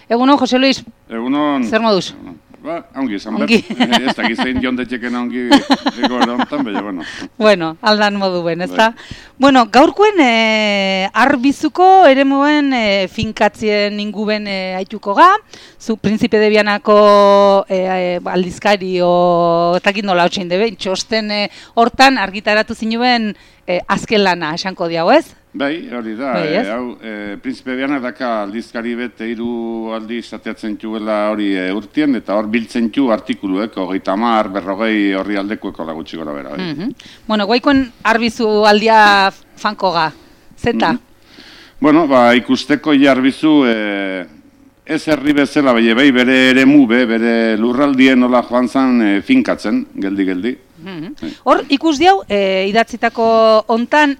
Egunon, Jose Luis. Egunon. Zer moduz? Ba, ongi, esan behar. Ez da, gizein jontetxeken ongi egoera honetan, baina, bueno. Bueno, aldan modu ben, ez da? Bueno, gaurkoen arbizuko ere moen finkatzien inguben haituko ga, zu Príncipe de Vianako aldizkari ez dakit nola hotxein debe, txosten hortan argitaratu zinuen azken lana, esanko diago, ez? Bai, hori da, Príncipe Vianak daka aldizkari bete 3 aldi izateatzen txuela hori urtien, eta hor biltzen txu artikuluek, 30, 40 horri aldekueko lagutxi gora bera. Bueno, guaikoen arbizu aldia fanko ga, zeta? Bueno, ikusteko arbizu ez herri bezala, bai bere eremu, bere lurraldien nola joan zan finkatzen, geldi. Hor, ikus diau, idatzitako hontan,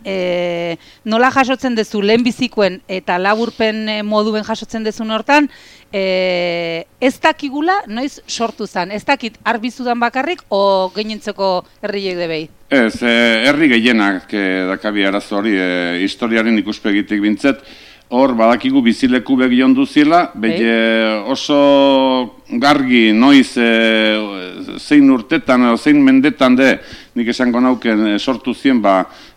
nola jasotzen dezu lehenbizikoen eta laburpen moduen jasotzen dezun hortan, ez dakigula noiz sortu zan, ez dakit arbizudan bakarrik o gehientzeko herriek debei? Ez, herri gehienak dakabi arazo hori, historiaren ikuspegitik bintzet, hor badakigu bizileku begion duziela, oso gargi noiz zein urtetan edo zein mendetan nik esango nauken sortu zien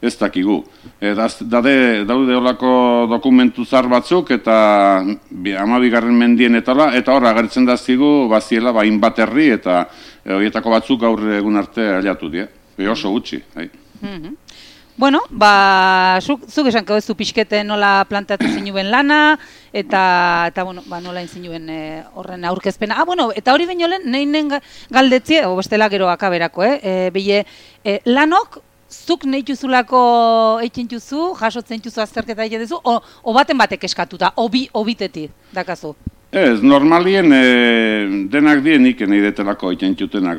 ez dakigu. Daude holako dokumentu zar batzuk eta 12. mendien eta hor agertzen dazkigu baziela hainbat herri eta horietako batzuk gaur egun arte aliatu die. Oso gutxi. Bueno, zuk esanko ez du pixkete nola planteatu zinuen lana, eta nola inzinuen horren aurkezpena. Eta hori baino lehen, nahinen galdetzie, bestela gero akaberako, lanok, zuk nahi juzulako eitzen juzu, jasotzen juzu azterketa egin duzu, o batek eskatuta, obitetik, dakazu? Ez, normalien denak dienik nahi detelako eitzen jutenak,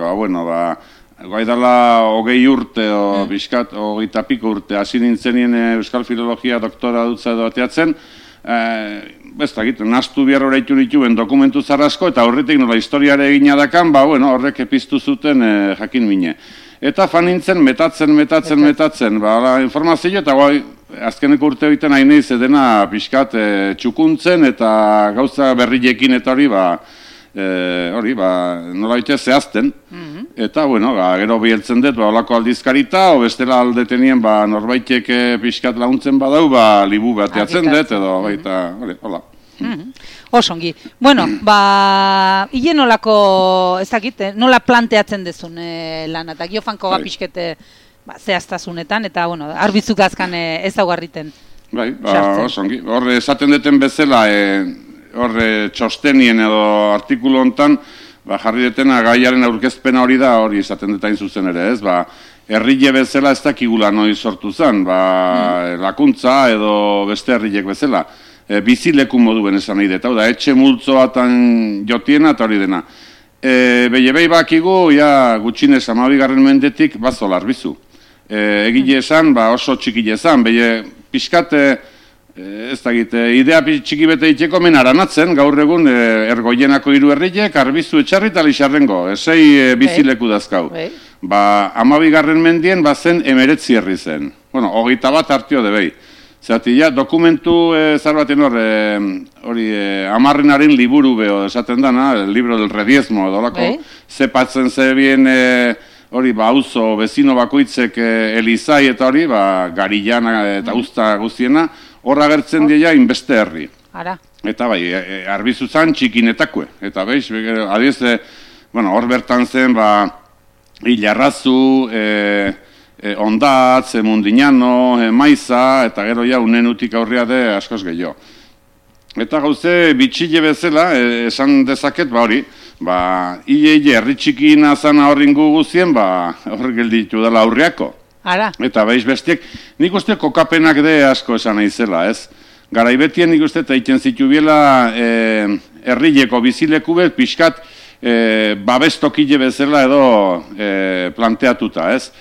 Gai dala 20 urte, bizkat, 20 piko urte, hasi nintzenien Euskal Filologia doktora dutza edo ateatzen, ez dakit, naztu behar horreitu nituen dokumentu zarrasko, eta horretik nola historiare egina dakan, horrek epiztu zuten jakin mine. Eta fan nintzen, metatzen, informazio, eta azkeneko urte egiten hain nahi zedena bizkat txukuntzen, eta gauza berriekin eta hori, nola bite zehazten. Eta, gero biheltzen dut, olako aldizkarita, o bestela aldetenien, norbaitek pixkat launtzen badau, libu bateatzen dut, edo, hola. Osongi. Bueno, hile nolako, ez dakit, nola planteatzen dezun lan, eta giofanko pixkete zehaztasunetan, eta, arbizuk azkan ez daugarriten. Osongi. Hor, esaten duten bezala, hor txostenien edo artikulu hontan, jarri detena gaiaren aurkezpena hori da, hori esaten detain zuzen ere, ez? Herrile bezala ez dakigula noiz sortu zen, lakuntza edo beste herrilek bezala. Bizileku moduen esan nahi dut, etxe multzoatan jotiena eta hori dena. Behi bakigu, gutxinez 12. mendetik bazola arbizu. Egile esan, oso txikile esan, pixkate, ez dakit, idea txiki bete itxeko men aranatzen, gaur egun ergoienako 3 herriek, arbizu etxarri eta lixarrengo, 6 bizileku dazkau. 12. mendien zen 19 herri zen. 21 hartio debei. Zerati, dokumentu zar baten hori, Amarrenaren liburu beho esaten dana, el libro del rediezmo edo lako, zepatzen zebien hori, auzo, bezino bakoitzek Elizai eta hori, Garillana eta Usta guztiena, hor agertzen dira inbeste herri. Eta arbizu zan txikinetakue. Eta adiez, hor bertan zen, Ilarrazu, Ondatz, Mundinano, Maiza, eta gero unenutik aurria de askoz gehiago. Eta gauze, bitxile bezala, esan dezaket, hori, hile herri txikina zana horringu guzien, hor gelditu dela aurriako. Eta bestiek, nik uste kokapenak asko esan naizela, ez? Garaibetien nik uste egiten zitu biela herrileko bizileku bet, pixkat babestokile bezala edo planteatuta, ez?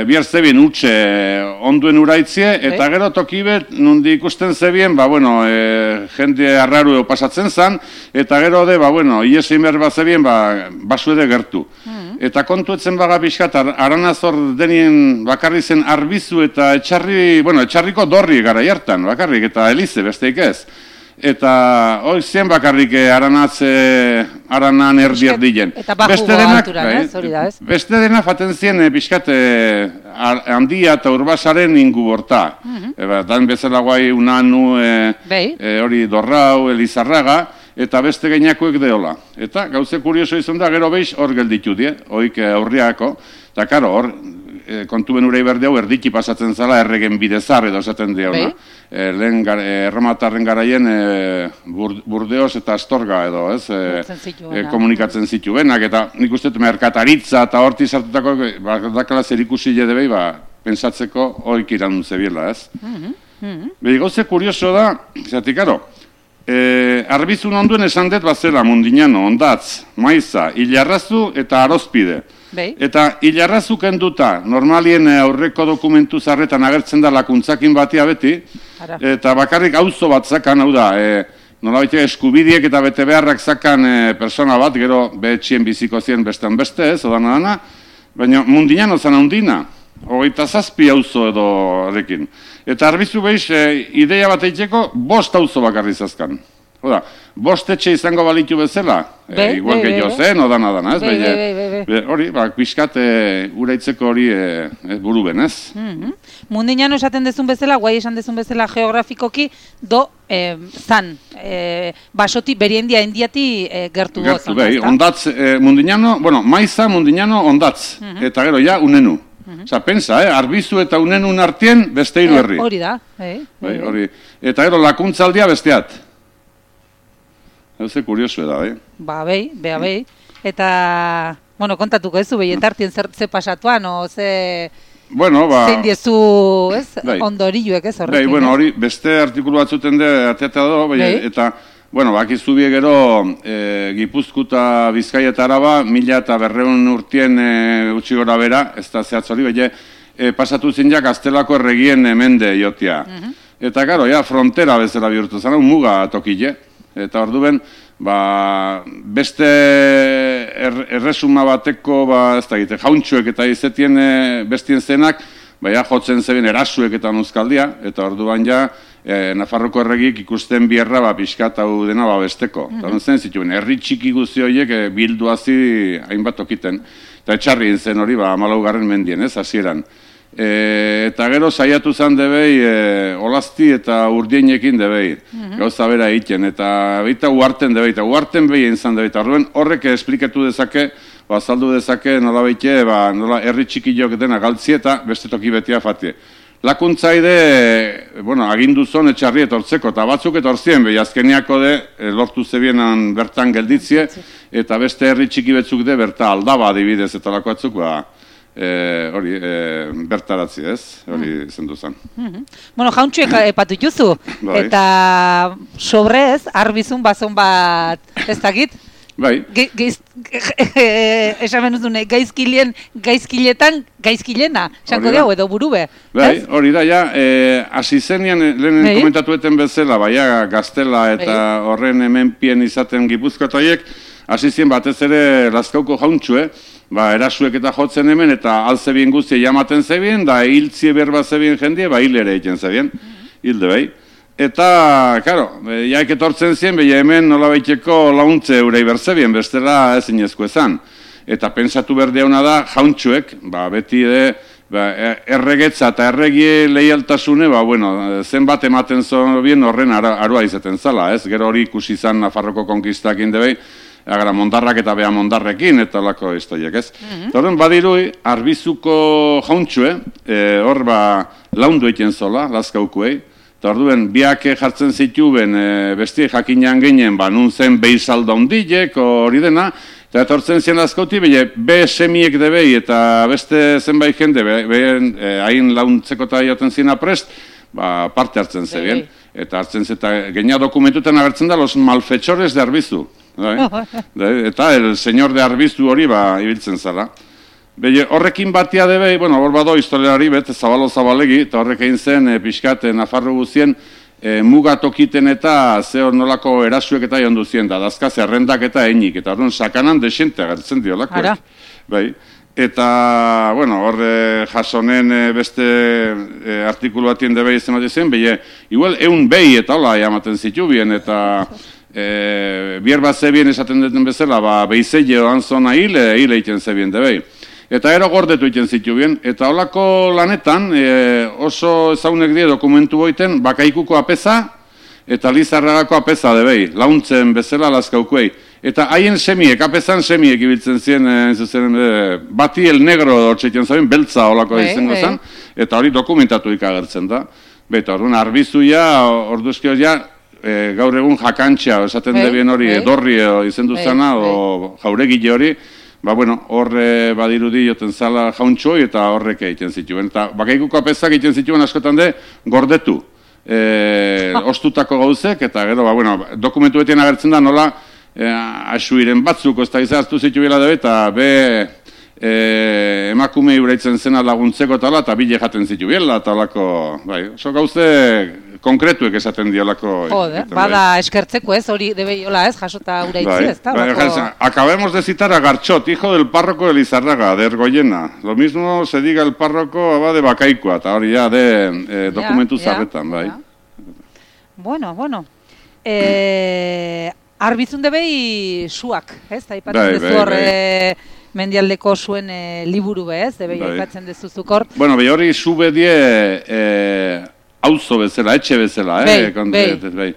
Biar zebien utxe onduen uraitzie, eta gero toki bet, nundi ikusten zebien, jende arraru pasatzen zan, eta gero iesein behar bat zebien, basuede gertu. Eta kontuetzen pixkat, aranazor denien bakarri zen arbizu eta etxarriko dorri gara jartan, bakarrik, eta elize besteik ez. eta hori zien bakarrik aranan erdi-erdien. Eta bajugo alturan, hori da, ez? Beste dena faten zien pixkat handia eta urbasaren ingu borta. Dan bezala guai Unanu, hori Dorrau, Elizarraga, eta beste gainakoek deola. Eta gauze kurioso izan da, gero behiz hor gelditu die, hoik aurriako, eta karo, hor, kontuen urei berde hau erdiki pasatzen zala erregen bidezar edo esaten diona. Lehen erromatarren garaien Burdeos eta Astorga edo, ez? Komunikatzen zituenak, eta nik uste merkataritza eta horti sartutako, dakala zer ikusi jedebei, pensatzeko hoik iran zebiela, ez? Behi, gauze kurioso da, zati, karo, Arbizun onduen esan dut bazela Mundiñano, Ondatz, Maiza, Ilarrazu eta Arozpide. Eta Ilarrazu kenduta, normalien aurreko dokumentu zarretan agertzen da lakuntzakin batia beti, eta bakarrik auzo bat zakan, hau da, nolabait eskubidiek eta bete beharrak zakan persona bat, gero behetxien biziko zien bestean beste, ez, odana, baina Mundiñano zan handina, 27 auzo edo erekin. Eta Arbizu behiz, ideia bat eitzeko, 5 auzo bakarri zazkan. Oda, 5 etxe izango balitu bezala, igual gehiago zen, odana, ez? Hori, pixkat uraitzeko hori buru ben, ez? Mundiñano esaten dezun bezala, guai esan dezun bezala geografikoki, zan, basoti, beriendia indiati gertu goz. Gertu, behi, Ondatz, Mundiñano, bueno, Maiza, Mundiñano, Ondatz, eta gero, ja, Unenu. Osa, pensa, Arbizu eta Unenun artien beste hiru herri. Hori da. Hori. Eta gero, lakuntzaldia besteat. Hauze kuriosu da, behi. Eta, bueno, kontatuko ez zu, behi, entartien ze pasatuan, o ze... Bueno, zein diezu, ez? Ondoriluek, ez horrekin. Bueno, hori, beste artikulu batzuten de ateata do, eta... Bueno, bakizu bie gero Gipuzkoa, Bizkaia eta Araba, 1200 urtien utzi gora bera, ez da zehatzori, pasatu zinjak Gaztelako erregien mende jotia. Eta gero, frontera bezala bihurtu zara, muga tokile. Eta orduen, beste erresuma bateko, ez da egite, jauntxuek eta izetien bestien zenak, jotzen zeben erasuek eta nuzkaldia, eta orduan Nafarroko erregik ikusten bierra pixkat hau dena besteko. Eta zen zituen, herri txiki guzti horiek bilduazi hainbat okiten. Eta etxarrien zen hori, 14. mendien, ez, hasieran. Eta gero saiatu zen debei, olazti eta urdienekin debei, gauza bera egiten, eta baita uarten debei, eta uarten behien zan debei, eta horrek esplikatu dezake, azaldu dezake nola beite, nola herri txikiok dena galtzi eta beste toki betia fatie. Lakuntzaide, agindu zon etxarri etortzeko, eta batzuk etorzien, azkeniako lortu zebienan bertan gelditzie, eta beste herri txiki betzuk berta aldaba adibidez eta lako batzuk, hori, bertaratzi ez, hori zendu zen. Jauntxuek epatu juzu, eta sobrez, Arbizun bazon bat, ez dakit? Bai. Esamen duzune, gaizkiletan, gaizkilena, sanko dugu edo burube. Bai, hori da, hasi zenian, lehenen komentatueten bezala, Gaztela eta horren hemenpien izaten Gipuzkoatoiek, hasi zien batez ere Lazkauko jauntxue, erasuek eta jotzen hemen, eta alzebien guztia jamaten zebien, da hiltzie berba zebien jendie, hil ere egiten zebien, hilde bai. Eta, karo, jaik etortzen zien, hemen nola baiteko launtze eurei berzebien, bestela ezinezko ezan. Eta pensatu berdeuna da, jauntxuek, beti erregetza eta erregie leialtasune, zenbat ematen zobien horren arua izaten zala, ez? Gero hori ikusi izan Nafarroko konkistakin debei, agara mondarrak eta beha mondarrekin, eta lako historiak, ez? Eta horren badirui, Arbizuko jauntxue, hor laundu egiten zola, Lazkaukuei, eta orduen, biak jartzen zituen besti jakinean ginen, nun zen behizalda ondilek, hori dena, eta etortzen zien Lazkauti, be semiek debei, eta beste zenbait jende, hain launtzeko eta jaten zina prest, parte hartzen zebien. Eta hartzen zen, eta genia dokumentutan agertzen da, los malfetxores de Arbizu. Eta el señor de Arbizu hori ibiltzen zara. Horrekin batia debei, hor bado historiari zabalo-zabalegi, eta horrek egin zen pixkat Nafarro guzien mugatokiten eta zehor nolako erasuek eta jondu zien, da dazkaz errendak eta einik, eta horren sakanan desente agertzen diolako. Eta, bueno, hor jasonen beste artikulu batien debei izan bat izan, behi, igual eun behi eta hola jamaten zitu bien, eta bier bat zebien esaten duten bezala, behize joan zona hile egiten zebien debei. Eta ero gordetu egiten zitu bien, eta holako lanetan oso ezaunek die dokumentu boiten bakaikuko apeza eta Lizarragako apeza debei, launtzen bezala lazkaukuei. Eta haien semiek, apezan semiek ibiltzen ziren, bati el negro dortzeiten zaben, beltza holako izango zen, eta hori dokumentatu ikagertzen da. Beta, orduan, arbizuia, orduzkioz ja, gaur egun jakantxa, esaten debien hori, edorri izendu zana, o jauregile hori, bueno, horre badirudi joten zala jauntxoi eta horrek egiten zituen. Eta bakaikuko apezak egiten zituen askotan de, gordetu. Ostutako gauzek, eta gero, bueno, dokumentu betien agertzen da, nola, asuiren batzuk, ez da izaztu zitu bila dabe, eta emakume uraitzen zena laguntzeko tala, eta bile jaten zitu biela, eta olako, bai, oso gauze konkretuek esaten diolako. Jode, bada eskertzeko ez, hori debei hola ez, jasota uraitzi ez, da? Acabemos de citar a Garchot, hijo del párroco de Lizarraga, de Ergoyena. Lo mismo se diga el párroco de Bakaikoa, eta hori ya de dokumentu zarretan, bai. Bueno. Arbizun debei suak, ez? Aipatzen dezu hor mendialdeko zuen liburu ez? Debei aipatzen dezuzuk hor. Bueno, behi hori zu bedie auzo bezala, etxe bezala, Bai.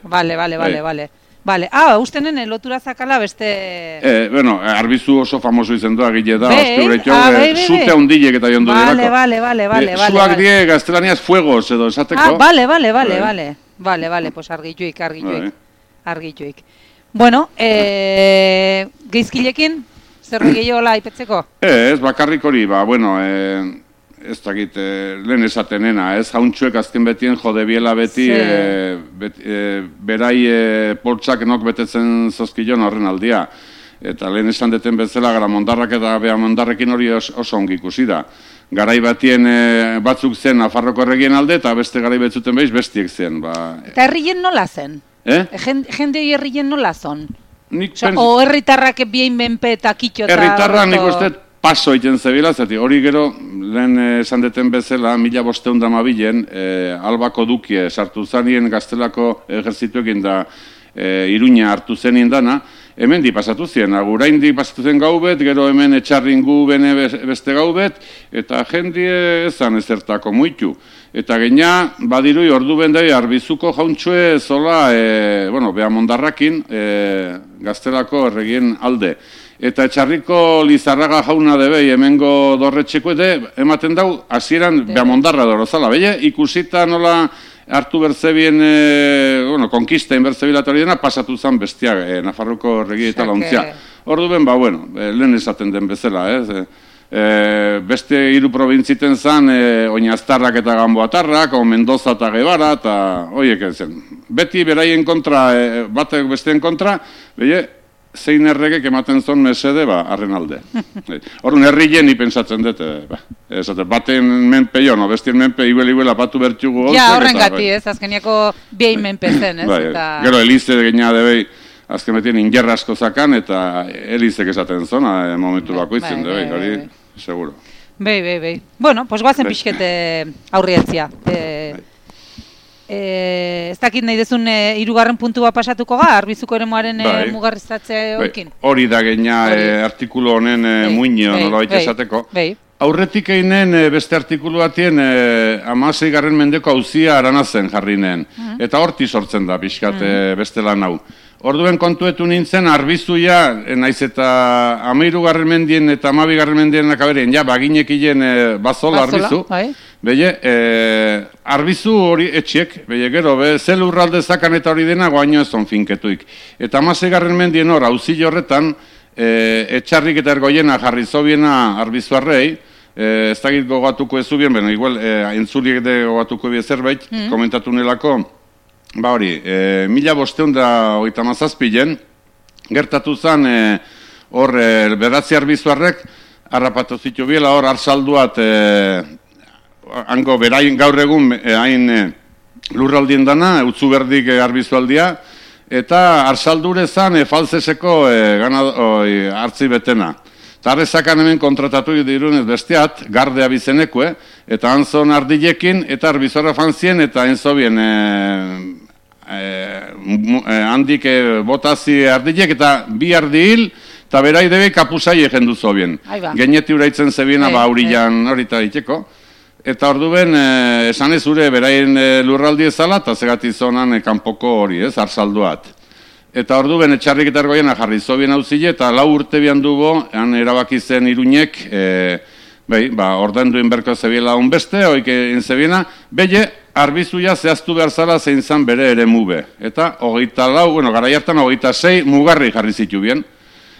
Vale. Ustenen lotura zakala beste... Bueno, arbizu oso famoso izen doa gile da, zute handilek eta jondu dirako. Vale. Zuak die gaztelaniaz fuegos edo esateko. Vale, pues argituik. Bueno, geizkilekin, zer gehiagola aipetzeko? Ez, bakarrik hori, bueno, ez dakit, lehen esatenena, ez jauntxuek azken betien jode biela beti, berai poltsak nok betetzen zozkilon horren aldia. Eta lehen esan deten bezala, Garamondarrak eta Beamondarrekin hori oso ongi ikusi da. Garai batien batzuk zen Nafarroko erregien alde, eta beste garai betzuten behiz bestiek zen. Eta herrien nola zen? Jende hori herrien nola zon? O herritarrak bien menpe eta kitxo eta... Herritarra nik uste paso egiten zebila, zati hori gero, lehen esan deten bezala, 1512 Albako dukie sartu zanien Gaztelako ejerzituekin da Iruña hartu zenien dana, hemen di pasatu zien, aguraindik pasatu zen gaubet, gero hemen etxarringu bene beste gaubet, eta jendie ezan ezertako muitu. Eta geina, badirui ordu bendei arbizuko jauntxue zola, Beamondarrakin, Gaztelako erregien alde. Eta etxarriko Lizarraga jauna debei hemengo dorretxeko ematen dau, hasieran Beamondarra dorozala. Beye, ikusita nola hartu berzebien, konkista inbertzebilatu hori dena, pasatu zen bestiak, Nafarroko erregi eta launtzia. Ordu ben, lehen esaten den bezala, beste hiru probintziten zen, Oinaztarrak eta Gamboatarrak, Mendoza eta Gebara, eta horiek zen. Beti beraien kontra, batek besteen kontra, zein erregek ematen zon mesede, arren alde. Horren herrien pensatzen dut, baten menpe jo, bestien menpe iguela batu bertxugu Ja, horren gati, azkeniako behin menpe zen, ez? Gero Elize gena debei, azken betien ingerra asko zakan, eta Elizek esaten zona, momentu bakoitzen debei, hori, seguro. Bai. Bueno, pues guazen pixkete aurrietzia. Ez dakit nahi dezun hirugarren puntua pasatuko ga, arbizuko eremuaren mugarrizatzea horkin? Hori da gena artikulu honen muinio nola baita esateko. Aurretik einen beste artikulu batien 16. mendeko auzia aranazen jarri nen. Eta horti sortzen da pixkat beste lan hau. Orduen kontuetu nintzen arbizuia, naiz eta 13. mendien eta 12. mendien akaberen, baginekien bazola arbizu. Beye, arbizu hori etxiek, gero, zel urralde zakan eta hori dena guaino ez on finketuik. Eta 16. mendien hor, auzi horretan, etxarrik eta Ergoiena jarri zobiena arbizuarrei, ez dakit gogatuko ez zubien, igual, entzuliek de gogatuko bie zerbait, komentatu nelako, hori, 1537 gertatu zen, hor, beratzi arbizuarrek, harrapatu zitu biela, hor, arsalduat, hango berain gaur egun hain lurraldien dana, utzu berdik arbizualdia, eta arsaldure zan falzeseko hartzi betena. Tarrezakan hemen kontratatu dirunez besteat, gardea bizenekue, eta anzon ardilekin, eta arbizorra fanzien, eta enzobien handik botazi ardilek, eta bi ardil, eta berai debe kapusai egen duzo bien. Geneti uraitzen zebiena, aurillan horita diteko. Eta orduen, esan ez ure, beraien lurraldi ezala, eta zegati zonan kanpoko hori, arsalduat. Eta orduen, etxarrik eta ergoiena jarri zobien hauzile, eta 4 urte bian dugu, han erabaki zen Iruñek, ordainduen berko zebiela honbeste, oik egin zebiena, belle, arbizuia zehaztu behar zala zein zan bere ere mube. Eta 24, garai hartan 26 mugarri jarri zitu bien.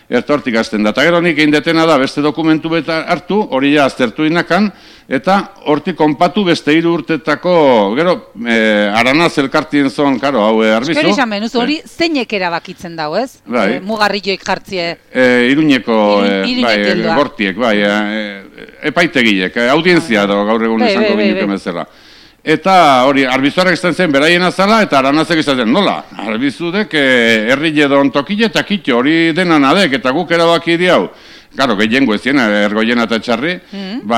Eta hortik azten da. Eta gero nik egin detena da beste dokumentu beta hartu, hori ja aztertu inakan, eta hortik konpatu beste 3 urtetako, gero, aranaz elkartien zon, karo, hau arbizu. Eskeri esan benuz, hori zeinek erabakitzen dago, ez? Mugarrilloik jartzie. Iruñeko, gortiek, epaitegilek, audientzia gaur egun izango binuken bezala. Eta hori, arbizuarak izan zen beraien azala, eta aranazek izan zen, nola? Arbizudek herri jedon tokile eta kitxo, hori denan adek, eta guk erabaki diau. Karo, gehiengo ezien, ergoiena eta txarri.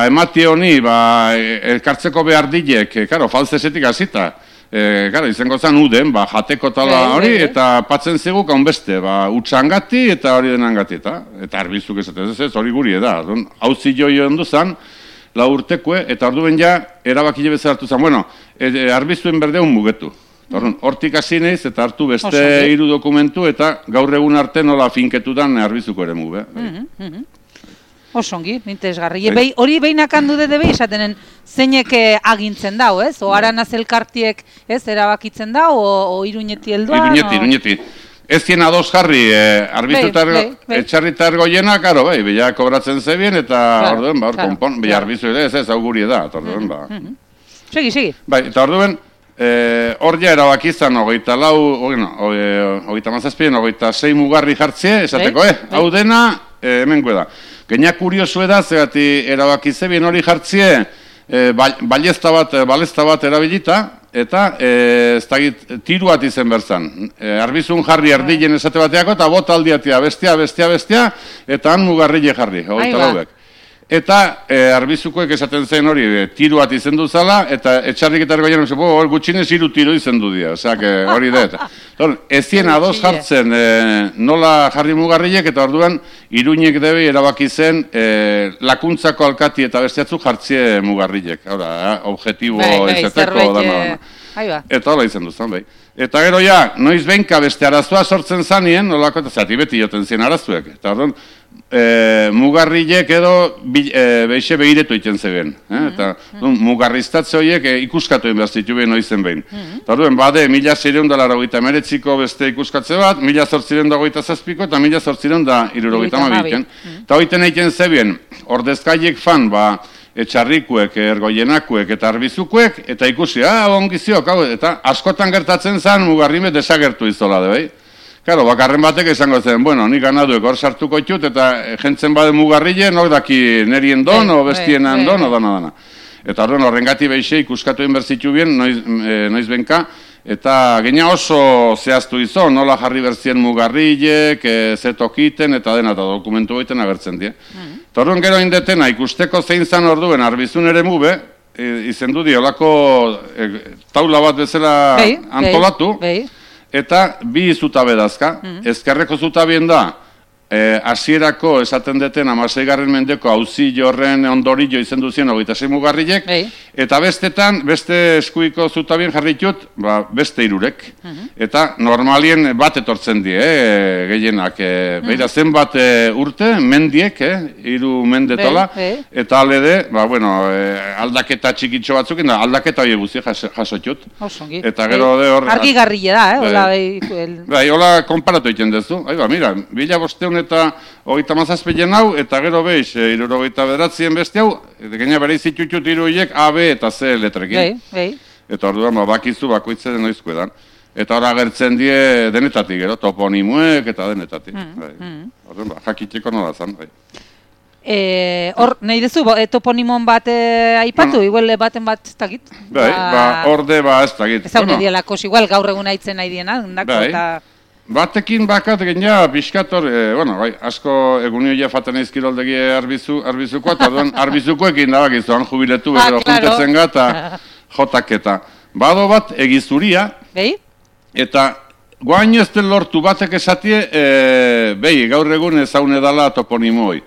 Emati honi, elkartzeko behar dilek, karo, falzesetik azita. Karo, izango zen uden, jateko tala hori, eta patzen ziguk honbeste, utxangati eta hori denangati. Eta arbizuk esaten ez, hori guri da. Hauzi joio onduzan, 4 urtekue, eta orduen ja, erabakile bezala hartu zen. Bueno, arbizuen berdeun mugetu. Hortik hasi naiz, eta hartu beste 3 dokumentu, eta gaur egun arte nola finketudan arbizuko ere muge. Osongi, interesgarri. Hori behinak handu dede behi, esatenen zeinek agintzen dau, ez? O aranaz elkartiek, ez, erabakitzen dau, o Iruñeti helduan? Iruñeti. Ez zien ados jarri, etxarrita ergoiena, karo, bila kobratzen zebien, eta orduen, hor konpon, bila arbizu ere, ez auguri da, orduen, Segi. Eta orduen, hor ja erabakizan, 26 mugarri jartzie, esateko, hau dena, hemengo da. Genia kuriosu da, zegati erabakizebien hori jartzie, balezta bat erabilita, eta tiruat izen berzan. Arbizun jarri erdilen esate bateako, eta bota aldiatia bestia, eta han mugarrile jarri, Eta arbizukoek esaten zen hori, tiruat izen duzala, eta etxarrik eta ergoien, gutxinez 3 tiru izen du dira, hori da. Ezien ados jartzen nola jarri mugarrilek, eta orduan Iruñek debe erabaki zen lakuntzako alkati eta bestiatzu jartzie mugarrilek. Objetibo ezateko dana. Eta hola izen duzan, Eta gero ja, noiz behinka beste arazoa sortzen zanien, nolako eta zati beti joten zien arazuek. Eta orduan, mugarrilek edo beixe behiretu iten zeben. Eta mugarriztatze horiek ikuskatu behar zitu behin noizen behin. Eta orduan, bade, 1689ko beste ikuskatze bat, 1827ko eta 1872. Eta horiten egiten zeben, ordezkaiek fan, etxarrikuek, ergoienakuek eta arbizukuek, eta ikusi, ongiziok, eta askotan gertatzen zen mugarrime desagertu izola, Karo, bakarren batek izango zen, nik ganaduek hor sartuko itut, eta jentzen bade mugarrile, nok daki nerien don, o bestienan don, o dana. Eta horrengati behixe ikuskatu inberzitu bien, noiz benka, eta genia oso zehaztu izo, nola jarri berzien mugarrilek, zetokiten, eta dena, eta dokumentu goiten agertzen die. Eta orduan gero indetena, ikusteko zein zan orduen arbizun ere mube, izendu diolako taula bat bezala antolatu, eta 2 zutabe dazka. Ezkerreko zutabien da, hasierako esaten deten 16. mendeko auzi jorren ondorillo izendu zien 26 mugarrilek, eta bestetan, beste eskuiko zutabien jarritut, beste 3. Eta normalien bat etortzen die, gehienak. Beira zenbat urte, mendiek, 3 mendetola, eta alede, aldaketa txikitxo batzuk, aldaketa hori guzi jasotut. Eta gero de hor... Argi garrile da, hola konparatu egiten dezu. Mira, 1500 eta 37 hau, eta gero behiz, 79 beste hau, gaina bere izitutut 3 horiek A, B eta C letrekin. Eta orduan, bakizu bakoitzen noizko edan. Eta hor agertzen die denetatik, gero, toponimuek eta denetatik. Orduan, jakiteko nola zan. Hor, nahi dezu, toponimon bat aipatu, igual baten bat ez dakit? Orde ez dakit. Ez hau nedielakos, igual gaur egun haitzen nahi diena, eta... Batekin bakat genia pixkator, bai, asko egunio faten eiz kiroldegi arbizukoa, eta duen arbizukoekin da bakizu, han jubiletu bero juntetzen gata jotaketa. Bado bat egizuria, eta guain ez den lortu batek esatie, gaur egun ezaune dala toponimoi.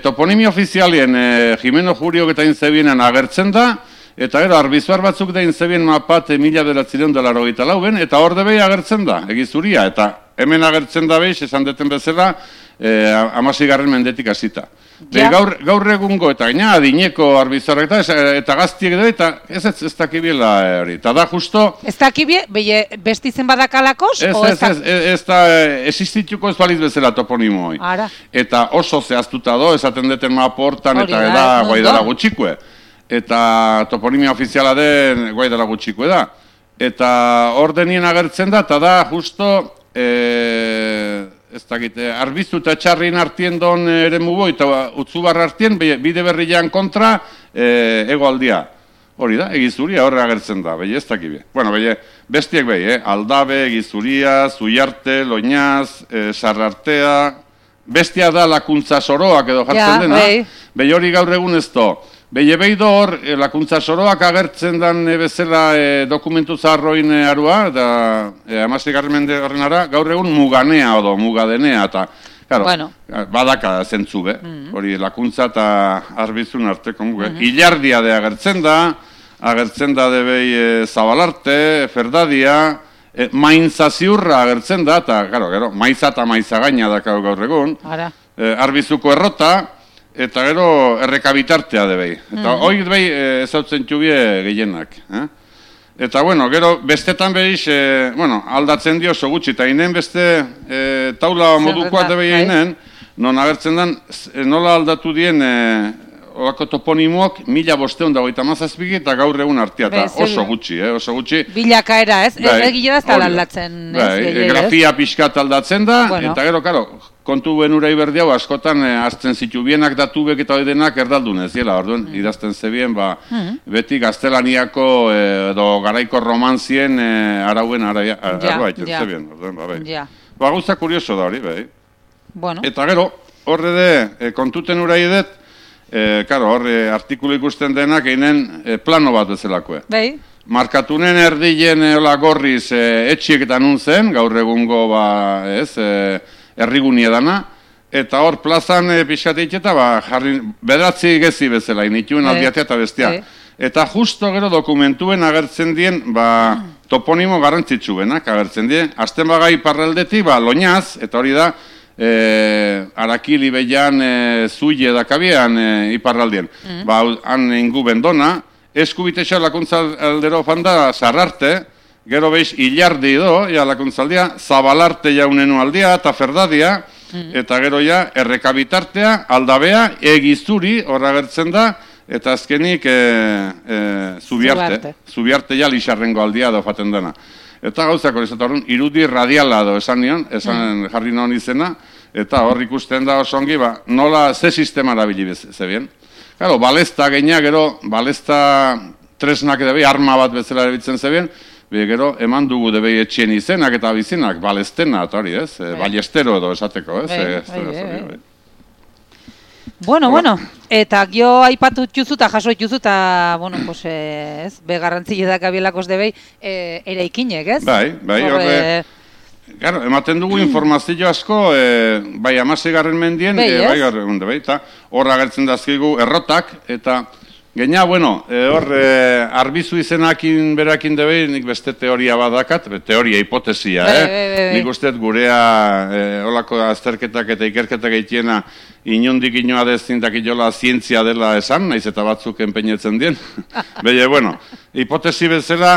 Toponimi ofizialien Jimeno Juriok eta inzebienan agertzen da, eta gero, arbizuar batzuk da inzebien mapat 1984 eta hor debei agertzen da, egizuria, eta hemen agertzen da behiz, esan deten bezala, 16. mendetik hasita. Gaur egungo, eta gaina adineko arbizuarak eta gaztiek da, eta ez dakibiela hori. Eta da justo... Ez dakibie, bestizen badakalakos? Ez da, existituko ez baliz bezala toponimo hoi. Eta oso zehaztuta do, esaten deten maportan, eta da guaidara gutxikue. Eta toponimia ofiziala den guaidara gutxiko da. Eta ordenien agertzen da, eta da justo, ez dakite, arbizu eta txarrin artien don ere mugo, eta utzubarra artien, bide berrian kontra, egoaldia. Hori da, egizuria horre agertzen da, ez dakibie. Bueno, bestiek aldabe, egizuria, zuiarte, loinaz, sarrartea, bestia da lakuntza soroak edo jartzen dena. Hori gaur egun ez do. Behido hor, lakuntza soroak agertzen dan bezala dokumentu zaharroin arua, da 16. mende horrenara, gaur egun muganea odo, mugadenea, eta, badaka zentzu, hori lakuntza eta arbizun arteko muge. Ilardia de agertzen da debei zabalarte, ferdadia, maintza ziurra agertzen da, eta, gero, maiza eta maiza gaina daka gaur egun, arbizuko errota, eta gero errekabitartea debei. Eta hori debei ezautzen txubie gehienak. Eta gero bestetan behiz, aldatzen dio oso gutxi, eta inen beste taula modukoa debei einen, non agertzen den, nola aldatu dien olako toponimoak 1557 eta gaur egun artea, eta oso gutxi, oso gutxi. Bilakaera, ez? Egile da ez da aldatzen. Grafia pixkat aldatzen da, eta gero, kontu benura iberdiau, askotan azten zitu bienak datubek eta hori denak erdaldun ez, orduen, idazten zebien, beti gaztelaniako edo garaiko romanzien arauen arroa iten zebien, orduen, gauza kurioso da hori, Eta gero, horre de, kontuten ura idet, horre artikulu ikusten denak einen plano bat bezalakoe. Markatunen erdien gorriz etxiek eta nun zen, gaur egungo errigunie dana, eta hor plazan pixateik eta bederatzi gezi bezala, inituen aldiatea eta bestia. Eta justo gero dokumentuen agertzen dien, toponimo garrantzitsuenak agertzen dien, azten bagai parraldetik, loinaz, eta hori da, Arakili behian zuile dakabian iparraldien. Han ingu bendona, eskubitesa lakuntza aldero fanda zarrarte, gero behiz hilardi do, lakuntzaldia, zabalarte jaunenu aldia eta ferdadia, eta gero errekabitartea, aldabea, egizuri horra gertzen da, eta azkenik zubiarte lixarrengo aldia da faten dena. Eta gauzako, irudi radiala do esan nion, esan jarri non izena, eta hor ikusten da oso ongi, nola ze sistema erabili zebien. Gero, balesta geina, gero, balesta tresnak edabei, arma bat bezala erabiltzen zebien, gero, eman dugu debei etxien izenak eta bizinak, balestena, eta hori, ez? Ballestero edo esateko, ez? Bueno, eta gio aipatu txuzu eta jaso txuzu eta, ez, begarrantzile da kabielakos debei ere ikinek, ez? Bai, horre, ematen dugu informazio asko, bai, 16. mendien, bai, eta horra gertzen dazkigu errotak, eta Geina, hor, arbizu izenakin berakin debei, nik beste teoria badakat, teoria, hipotesia, nik usteet gurea olako azterketak eta ikerketak egitiena inondik inoa dezintak inola zientzia dela esan, naiz eta batzuk enpeinetzen dien. Hipotesi bezala,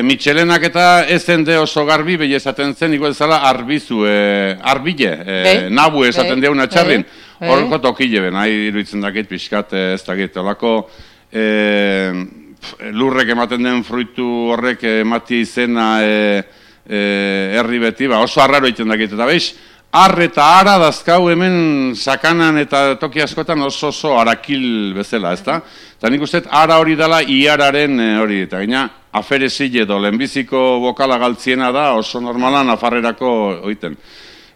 Michelenak eta ezen de oso garbi, behi esaten zen, niko ezala arbizu, arbile, nabu esaten diauna txarrin. Horko tokile ben, nahi iruditzen dakit pixkat, ez dakit, olako lurrek ematen den fruitu horrek emati izena herri beti, oso arraro egiten dakit, eta behiz, ar eta ara dazkau hemen sakanan eta toki askotan oso arakil bezala, ezta? Eta nik uste, ara hori dela iararen hori, eta gaina aferezile edo lehenbiziko bokala galtziena da oso normalan afarrerako oiten.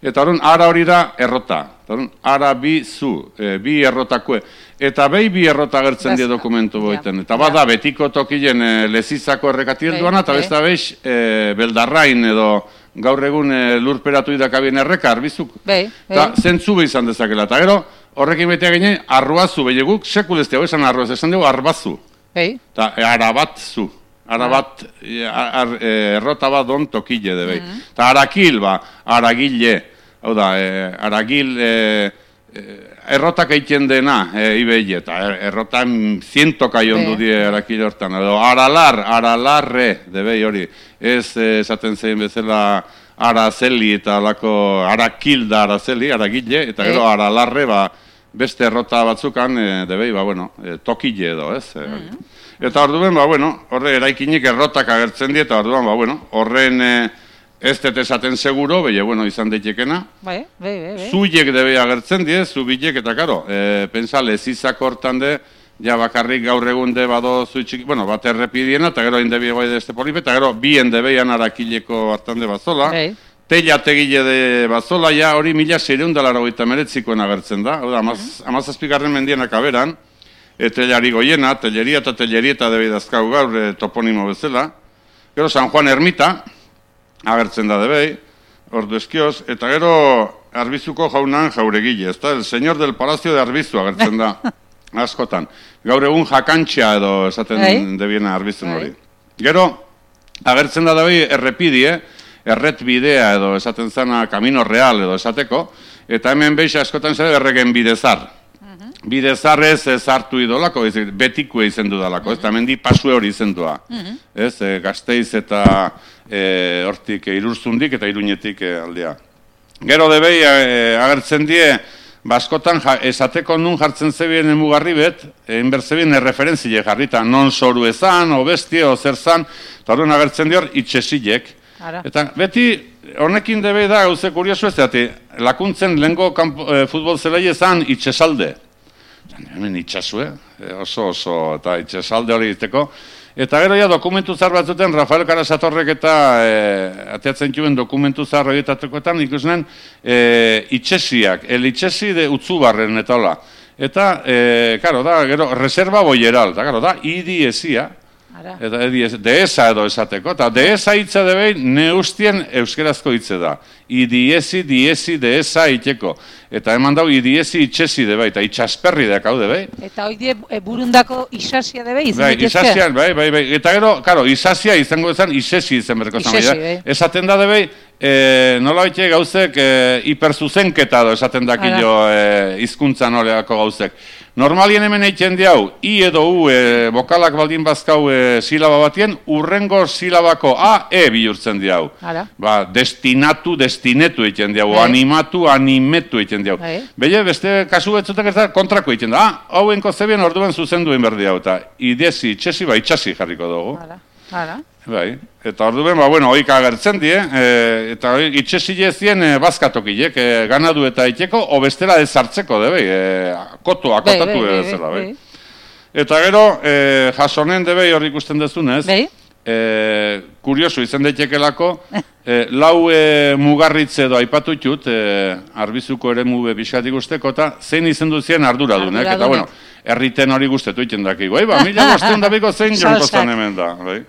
Eta horren, ara hori da errota. Ara bi zu, bi errotakue. Eta behi bi errota agertzen die dokumentu boiten. Eta bada, betiko tokilen lezizako errekatiel duana, eta besta behiz, beldarrain edo gaur egun lurperatu idakabien erreka, arbizuk. Eta zentzu behi izan dezakela. Eta gero, horrekin betea ginen, arruazu, behi guk, sekuleztea, esan arruaz, esan dugu, arbazu. Eta arabat zu. Arabat, errota bat don tokile de behi. Eta arakil, aragile. Hau da, aragil, errotak egiten dena, ibei, eta errotan zientoka jondu die arakil hortan. Edo, aralarre, debei hori. Ez esaten zein bezala arazeli eta alako arakil da arazeli, aragile, eta gero aralarre, beste errota batzukan, debei, tokile edo, ez? Eta orduan, horre eraikinik errotak agertzen die, eta orduan, horren ez dut esaten seguro, izan daitekena. Zuiek debe agertzen die, zubilek, eta karo, pensa lezizak hortan de, ja bakarrik gaur egun de bado zuitxik, bat errepidiena, eta gero indebi egoi de este polipe, eta gero bien debeian arakileko hartan de bazola, teilategile de bazola, ja hori 1689 agertzen da, hau da, 17. mendienak aberan, telari goiena, telleria eta tellerieta debe dazkau gaur toponimo bezala, gero San Juan Ermita, agertzen da debei, ordu eskioz, eta gero Arbizuko jaunan jauregile, ez da, el señor del Palacio de Arbizu agertzen da, askotan. Gaur egun jakantxea edo esaten debiena Arbizun hori. Gero, agertzen da debei errepidie, erretbidea edo esaten zana Camino Real edo esateko, eta hemen behiz askotan zede erregen bidezar. Bidezarrez hartu idolako, betikue izendu dalako, ez da, mendi pasue hori izendua. Ez, Gasteiz eta hortik Irurzundik eta Iruñetik aldea. Gero debei agertzen die, askotan esateko nun jartzen zebien emugarri bet, enberzebien erreferentzile jarrita, non zoru ezan, o bestie, o zer zan, eta horren agertzen dior, itxesilek. Eta beti, honekin debei da, gauze kuriosu ez, lakuntzen lehenko futbol zelai ezan itxesalde. Hemen itxasue, oso, eta itxasalde hori izteko. Eta gero ja dokumentu zar batzuten, Rafael Karasatorrek eta ateatzen juen dokumentu zar horietatekoetan ikusnen itxesiak, el itxesi de Utzubarren eta hola. Eta, karo, da, gero, reserva boieral, eta karo, da, idiesia, eta dehesa edo esateko, eta dehesa hitza debei neustien euskerazko hitze da. Idiesi, dehesa iteko. Eta eman dau, idiesi itxesi debei, eta itxasperri dek hau debei. Eta hoi burundako isasia debei izan ditezke? Isasia, bai. Eta gero, karo, isasia izango ezan, isesi izan berko zan. Esaten da debei, nola baite gauzek hiperzuzenketa do esaten dakilo hizkuntzan horreako gauzek. Normalien hemen eitzen diau, i edo u bokalak baldin bazkau silaba batien, urrengo silabako a, bihurtzen diau. Destinatu, destinetu eitzen diau, animatu, animetu eitzen diau. Bele, beste kasu betzutak ez da, kontrako eitzen da. Hauenko zebien orduan zuzenduen berdi hau, eta idesi, itxesi, itxasi jarriko dugu. Bai, eta orduan, hoik agertzen die, eta itxesile zien bazkatokilek, ganadu eta iteko, o bestela ezartzeko, akotatu bezala, bai. Eta gero, jasonen debei hor ikusten dezunez, kurioso izan daitekelako, lau mugarritze edo aipatu txut, Arbizuko ere mube biskatik usteko, eta zein izan duzien arduradunek, eta erriten hori guztetu iten dakigu, mila bosteun dabiko zein jonko zan hemen da, bai.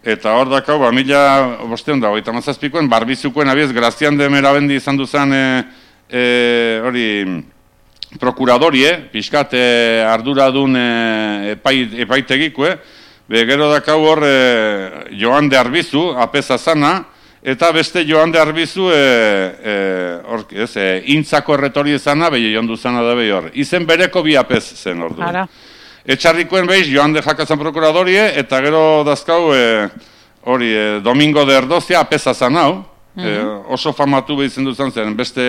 Eta hor dakau, mila bosteun dago, eta mazazpikoen, Barbizukoen abiez, Grazian de Merabendi izan duzan hori prokuradorie, pixkat arduradun epaitegikue, gero dakau hor Joan de Arbizu, apeza zana, eta beste Joan de Arbizu intzako erretori zana, behi jondu zana da behi hor. Izen bereko bi apez zen hor du. Etxarrikoen behiz, Joan de Jakazan prokuradorie, eta gero dazkau, Domingo de Erdozia apeza zan hau, oso famatu behizen duzan zen, beste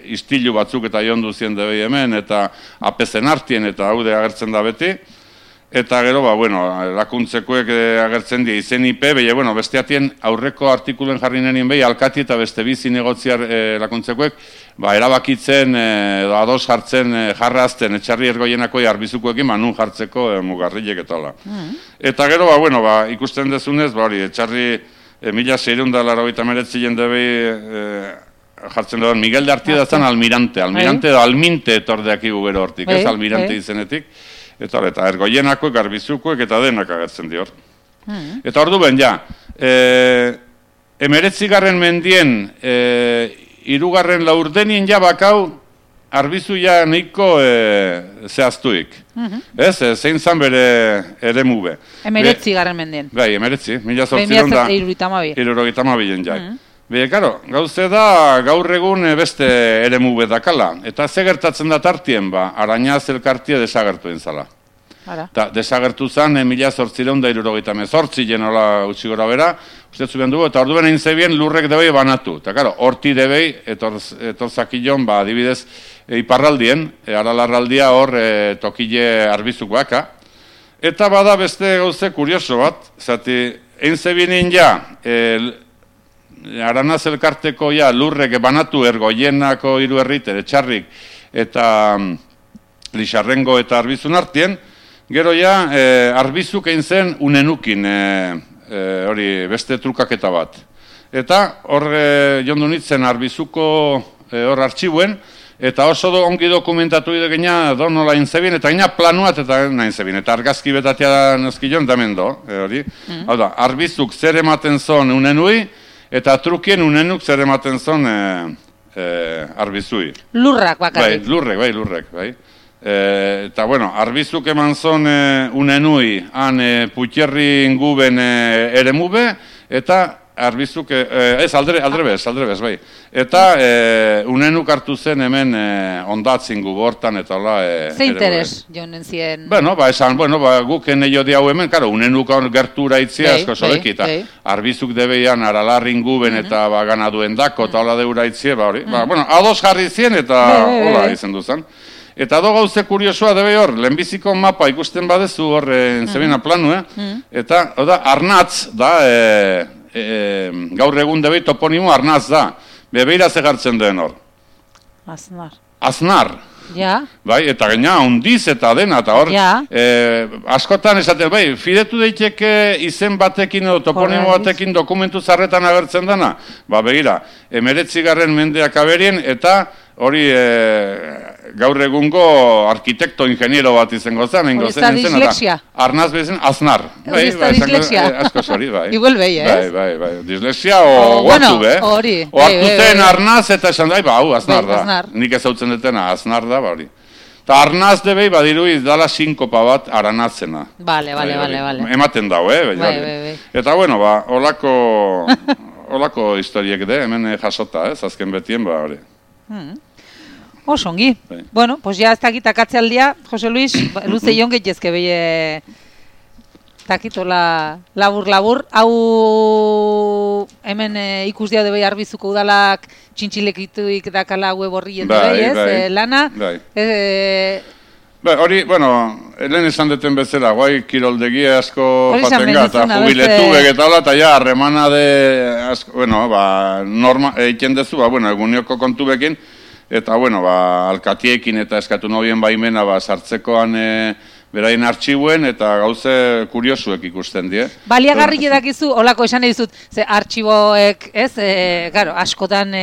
istilu batzuk eta jondu zien debei hemen, eta apezen hartien, eta haude agertzen da beti. Eta gero, bueno, lakuntzekoek agertzen dira izen IP, behi, bueno, besteatien aurreko artikulen jarri nenien behi, alkati eta beste bizi negotziar lakuntzekoek, erabakitzen, ados jartzen, jarrazten, etxarri ergoienako arbizukoekin, nun jartzeko mugarrilek eta hola. Eta gero, bueno, ikusten dezunez, hori, etxarri 1689 jendebei jartzen duen, Miguel de Artieda zen almirante edo alminte etordeak gero hortik, ez almirante izenetik. Eta ergoienakoek, garbizukoek eta denak agertzen dior. Eta ordu ben, ja, 19. mendien, 3. laurdenien ja bakau, arbizu ja nahiko zehaztuik. Zein zan bere ere mube. 19. mendien. Bai, 19, 1832 ja. Karo, gauze da gaur egun beste ere mube dakala. Eta ze gertatzen da tartien, Arañaz elkartia desagertu entzala. Desagertu zen 1878 jenola utzi gora bera, ustetzu behar dugu, eta orduen egin zebien lurrek debei banatu. Eta karo, horti debei, etorzakillon, adibidez, iparraldien, aralarraldia hor tokile arbizukoak. Eta bada beste gauze kurioso bat, zati, egin zebien ja, Aranaz elkarteko lurrek banatu ergoienako 3 herriter, etxarrik eta Lixarrengo eta Arbizun artien, gero Arbizuk egin zen unenukin hori beste trukaketa bat. Eta hor jondu nintzen Arbizuko hor artxibuen, eta oso ongi dokumentatu idegina donola inzebien, eta gina planuat eta nahin zebien, eta argazki betatea nozkillon damen do, hori. Hau da, Arbizuk zer ematen zon unenui, eta trukien unenuk zer ematen zon Arbizui. Lurrak bakarrik. Lurrek. Eta, bueno, Arbizuk eman zon unenui, han Putxerri inguben ere mube, eta Arbizuk, aldrebez, bai. Eta unenuk hartu zen hemen ondatzin gu bortan, eta hola... Ze interes, jonen zien... Guk eneio diau hemen, karo, unenuk gertura itzia asko soleki, eta Arbizuk debeian aralarrin guben eta ganaduen dako, eta hola deura itzia, ados jarri zien, eta hola izen duzan. Eta do gauze kuriosoa debe hor, lehenbiziko mapa ikusten badezu hor zebina planu, eta Arnatz da... gaur egun debei toponimo Arnaz da. Bebeira zegartzen duen hor. Aznar. Ja. Bai, eta gaina hundiz eta dena, eta hor, askotan esaten, bai, fidetu daiteke izen batekin edo toponimo batekin dokumentu zarretan agertzen dena. Begira, 19. mendeak aberien, eta hori gaur egungo arkitekto ingeniero bat izango zen. Hori ez da dislexia. Arnaz bezen, Aznar. Hori ez da dislexia. Asko zori, bai. Igual behi, ez? Bai. Dislexia o guartu, hori. O hartu zen Arnaz eta esan da, hau, Aznar da. Nik ez hautzen detena, Aznar da, hori. Eta Arnaz debei badirui dala sinkopa bat aranatzena. Vale. Ematen dau, bai. Eta, bueno, holako historiek de, hemen jasota, azken betien, hori. Osongi. Bueno, pues ya ez dakit akatzealdia, Jose Luis, luze ion gehiezke behi takitola labur. Hau hemen ikus diau debei Arbizuko udalak txintxilekituik dakala web horrien debei, ez? Lana. Hori, bueno, lehen esan deten bezala, guai kiroldegia asko jatenga, eta jubiletu begetala, eta ja, harremana de, bueno, eiken dezu, egunioko kontu bekin, eta, bueno, alkatiekin eta eskatu nobien baimena sartzekoan beraien artxibuen, eta gauze kuriosuek ikusten die. Baliagarri edakizu, holako esan edizut, ze artxiboek, ez, askotan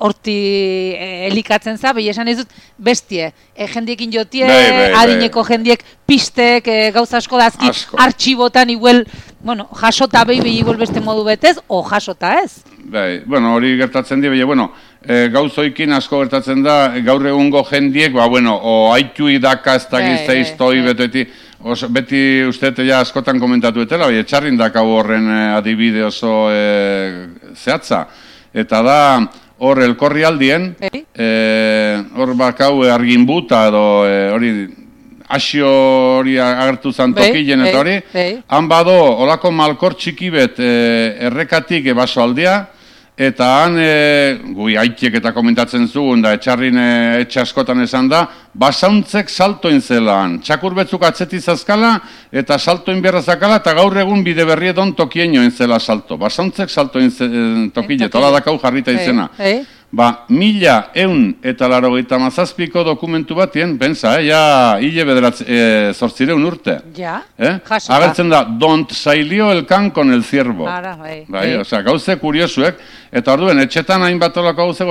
horti elikatzen za, behi esan edizut, bestie, jendiekin jotie, adineko jendiek pistek, gauza asko dazki, artxibotan igual, bueno, jasota behi igual beste modu betez, o jasota ez? Bai, bueno, hori gertatzen die, bueno, gauzoikin asko gertatzen da, gaur egungo jendiek, o haitui daka ez dakiz zeiztoi beti ustete ja askotan komentatu etela, etxarrin dakau horren adibide oso zehatza. Eta da, hor elkorri aldien, hor bakau arginbuta edo hori, asio hori agertu zantokilen eta hori, han bado, olako malkor txiki bet errekatik baso aldea, eta han, gui haitiek eta komentatzen zugun, da etxarrin etxe askotan esan da, basauntzek saltoin zelan, txakur betzuk atzeti zazkala, eta saltoin beharra zakala, eta gaur egun bide berri edon tokien joen zela salto. Basauntzek saltoin tokile, tola dakau jarrita izena. 1187ko dokumentu batien, pensa, ja, hile bederatz, 800 urte. Ja, agertzen da, don't sailio el can con el ciervo. Osea, gauze kuriosuek, eta orduen, etxetan hainbat olako gauze,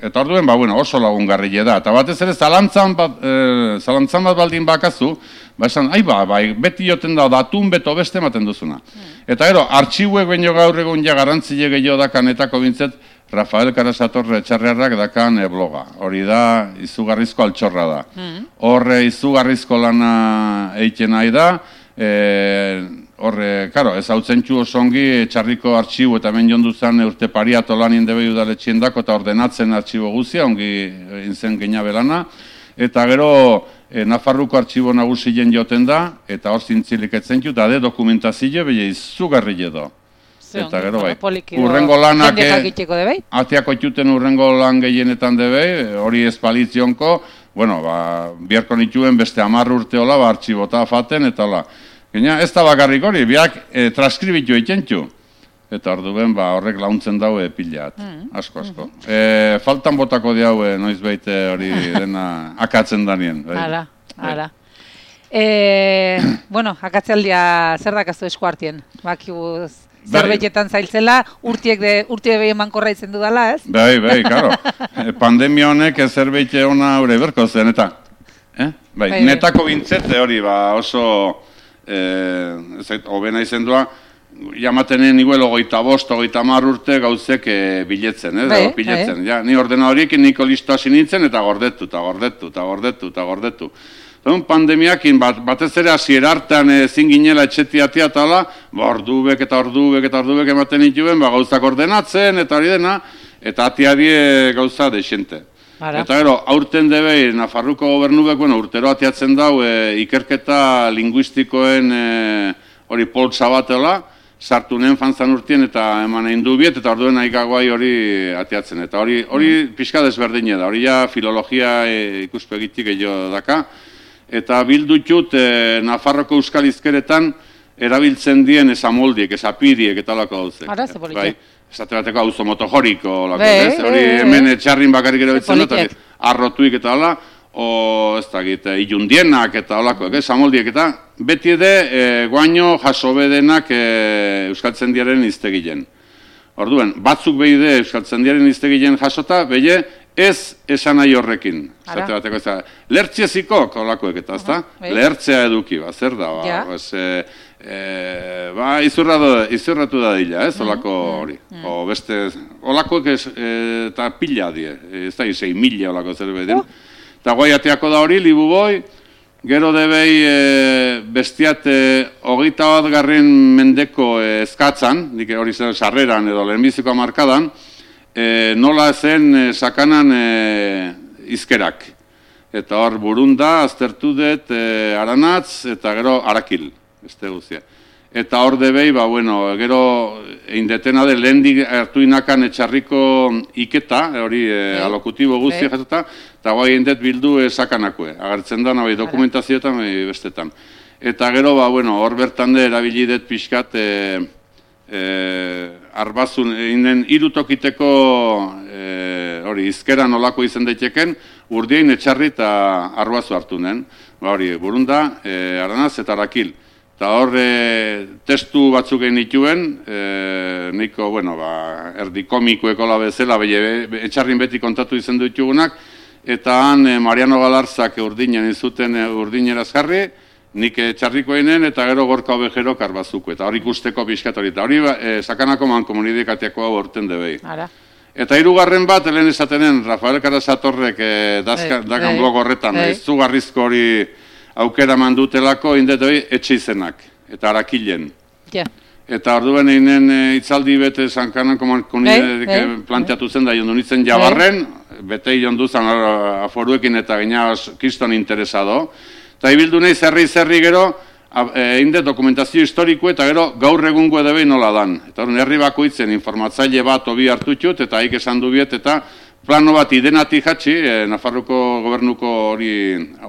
eta orduen, oso lagungarrile da. Eta batez ere, zalantzan bat baldin bakazu, esan, beti joten da, datun beto beste ematen duzuna. Eta gero, artxibuek baino gaur egun ja garantzile gehiago dakanetako bintzet, Rafael Karasatorre Etxarriarrak dakan bloga. Hori da, izugarrizko altxorra da. Horre izugarrizko lana eiken nahi da, horre, karo, ez hau zentxu osongi Etxarriko artxibu eta hemen jondu zen urte pariato lanien debe udaletxien dako eta ordenatzen artxibo guzia, ongi inzen gehiabe lana. Eta gero, Nafarruko artxibo nagusien joten da, eta hor zintzilik etzentxu, eta de dokumentazio behi izugarri edo. Eta gero urrengo lanak atiako ituten urrengo lan gehienetan debe, hori espalitzionko, biharko nituen beste 10 urte hola, artxibota faten, eta hola. Ez da bakarrik hori, biak transkribitu eitentxu. Eta orduen horrek launtzen daue pilat, asko. Faltan botako diaue noiz baite hori dena akatzen danien. Hala. Akatzealdia zer dakazu esku hartien, bakibuz. Zerbeitetan zailtzela, urte behi emankorra izen dudala, ez? Bai, karo. Pandemia honek zerbeite ona hori berko zen, eta netako bintzete hori, oso hobena izen dua, jamatenen igual 25-30 urte gauzek biletzen, piletzen. Ni ordenadoriekin niko listoa sinintzen, eta gordetu. Pandemiakin batez ere hasiera hartan ezin ginela etxetiatia eta hala, ordubek ematen dituen, gauzak ordenatzen eta hori dena, eta atiadie gauza desente. Eta gero, aurten debe, Nafarruko gobernubek, urtero atiatzen dau, ikerketa linguistikoen hori poltsa batela, sartu nien fanzan urtien eta eman egin du biet, eta orduen aikaguai hori atiatzen. Eta hori pixka desberdine da, hori ja filologia ikuspegitik gehiago daka, eta bildutut Nafarroko euskal izkeretan erabiltzen dien esamoldiek, esapiriek eta lako gauzek. Ara, ze politia. Esate bateko auzo motojoriko, hori hemen etxarrin bakarrik erabiltzen dut, arrotuik eta hala, ez dakit, ilundienak eta holako, esamoldiek eta beti ede guaino jasobedenak euskaltzendiaren iztegilen. Orduen, batzuk behide euskaltzendiaren iztegilen jasota, behi ez esan nahi horrekin. Lertzieziko, olakoek eta, ezta? Lehertzea eduki, zer da, izurratu da dila, ez, olako hori. Olakoek eta pila die, ez da, 6.000 olako zer behidin. Eta guai ateako da hori, libu boi, gero debei bestiat 21. mendeko eskatzan, hori zen sarreran edo lehenbiziko markadan, nola zen sakanan izkerak. Eta hor burunda, aztertu dut aranatz eta gero arakil, beste guzia. Eta hor debei, gero eindetena de lehendik hartu inakan Etxarriko iketa, hori alokutibo guzia jatuta, eta guai eindet bildu sakanakue. Agertzen da, dokumentazioetan bestetan. Eta gero, hor bertan de erabili dut pixkat, arbazun, irutokiteko hori izkeran olako izen daiteken, urdien Etxarri eta arbazu hartu nen. Hori, burunda, aranaz eta arakil. Eta hor testu batzuk egin dituen, nahiko, erdi komikoeko la bezala, Etxarrin beti kontatu izen ditugunak, eta han Mariano Galarzak urdinen izuten urdineraz jarri, nik Etxarriko eginen eta gero Gorka Obejerok arbazuko. Eta hori ikusteko pixkat hori. Eta hori sakanako mankomunidekatiako hau horten debei. Eta hirugarren bat, helen esatenen, Rafael Karasatorrek dakan blog horretan, izugarrizko hori aukera mandutelako, indet hori etxe izenak, eta arakilen. Eta orduen einen itzaldi bete sankanako mankomunidek planteatu zen da jondunitzen jabarren, bete jonduzan aforuekin eta gina kiston interesado. Eta ibildu nahi zerri gero, inde dokumentazio historiko eta gero gaur egungo edo behin nola dan. Eta herri bakoitzen informatzaile bat obi hartutxut eta haik esan du biet eta plano bat idenati jatxi, Nafarroko gobernuko hori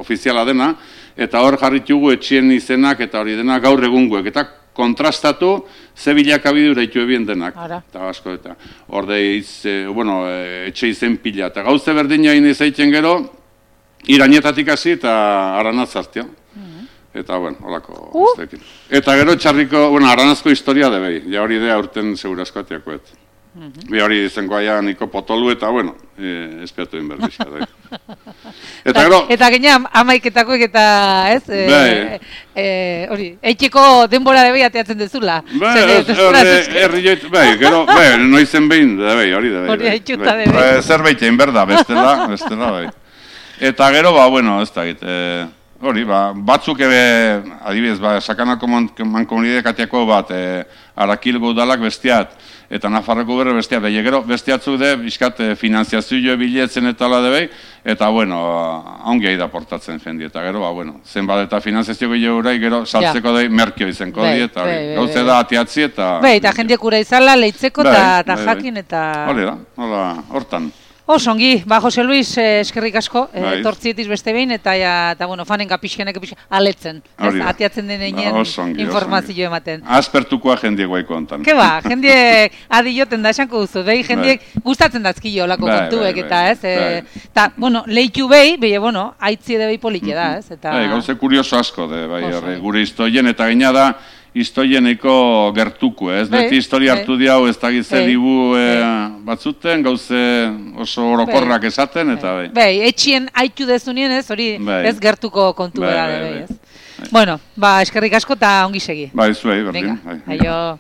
ofiziala dena, eta hor jarritugu etxien izenak eta hori dena gaur egunguek, eta kontrastatu ze bilakabidura itu ebien denak. Eta asko, eta hor etxe izen pila. Eta gauze berdina izaiten gero, Irainetatik hasi eta Aranaz zartio. Eta, holako guztekin. Eta gero txarriko, Aranazko historia debei, ja hori idea urten segurazko atiakoet. Bi hori zenko aia niko potolu eta, espiatu inberdizka. Eta gero... Eta genia amaiketakoek eta, ez? Hori, eitxeko denbora debei ateatzen dezula. Gero, noizen behin debei, hori debei. Hori haitxuta debei. Zerbait egin berda, bestela, bai. Eta gero, ez da git, hori, batzuk adibidez, Sakanako mankomunidea katiako bat, Arakilgo udalak bestiat, eta Nafarroko berre bestiat, gero bestiatzuk de, bizkat, finanziazioa biletzen eta ala debei, eta, ongi da portatzen jendi, eta gero, zenbat eta finanziazio gehiagurai, gero saltzeko dei merkio izenko di, eta gauze da atiatzi, eta... Eta jendiek ura izala, leitzeko eta jakin, eta... Hori da, hortan. Osongi, Jose Luis, eskerrik asko, tortzietiz beste behin, eta fanenka pixkenek aletzen, atiatzen denean informazio ematen. Aspertukoa jendiek guaiko ontan. Keba, jendiek adioten da esanko duzu, behi jendiek gustatzen dazkio olako kontuek, eta ez, eta, lehitu behi, haitzi edo behi polike da, ez. Gauze kurioso asko, gure historien, eta gaina da, historieneko gertuko, ez? Beti historia hartu diau ez da gizze dibu batzuten, gauze oso orokorrak esaten, eta etxien haitu dezunien ez, hori ez gertuko kontu bera, ez? Eskerrik asko eta ongi segi. Zuei, berdin. Aio.